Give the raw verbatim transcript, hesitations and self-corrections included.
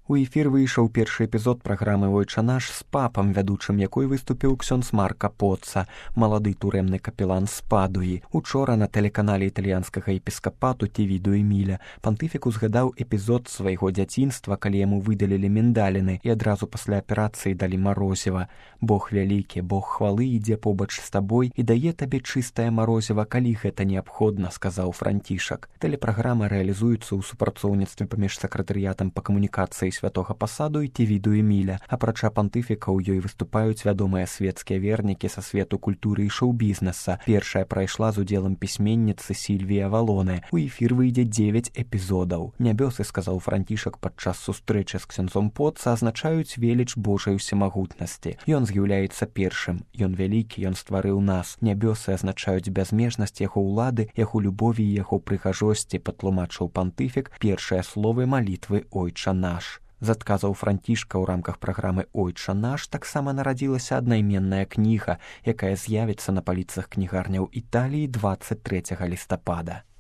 У эфір выйшаў першы эпізод праграмы «Ойча наш» з папам, вядучым якой выступіў ксёндз Марка Поцца, малады турэмны капелан з Падуі. Учора на тэлеканале італьянскага епіскапату Тевіду Эміля пантыфік узгадаў эпізод свайго дзяцінства, калі яму выдалілі міндаліны і адразу пасля аперацыі далі марозіва. Бог вялікі, Бог хвалы ідзе побач з табой і дае табе чыстае марозіва, калі гэта неабходна, сказаў Францішак. Тэлепраграма рэалізуецца ў супрацоўніцтве паміж сакратарыятам па камунікацыі святога пасаду і Тевіду Эміля. Апрача пантыфіка ў ёй выступаюць вядомыя свецкія вернікі са свету культуры і шоу-бізнеса. Першая прайшла з удзелам пісьменніцы Сільвіі Авалоны. У эфір выйдзе дзевяць эпізодаў. Нябёсы, сказаў Францішак падчас сустрэчы з ксёндзом Поцца, азначаюць веліч Божай усемагутнасці. Ён з'яўляецца першым. Ён вялікі, ён стварыў нас. Нябёсы азначаюць бязмежнасць яго ўлады, яго любові і яго прыгажосці, патлумачыў пантыфік першыя словы малітвы «Ойча наш». З адказаў Францішка ў рамках праграмы «Ойча наш» таксама нарадзілася аднайменная кніга, якая з'явіцца на паліцах кнігарняў Італіі дваццаць трэцяга лістапада.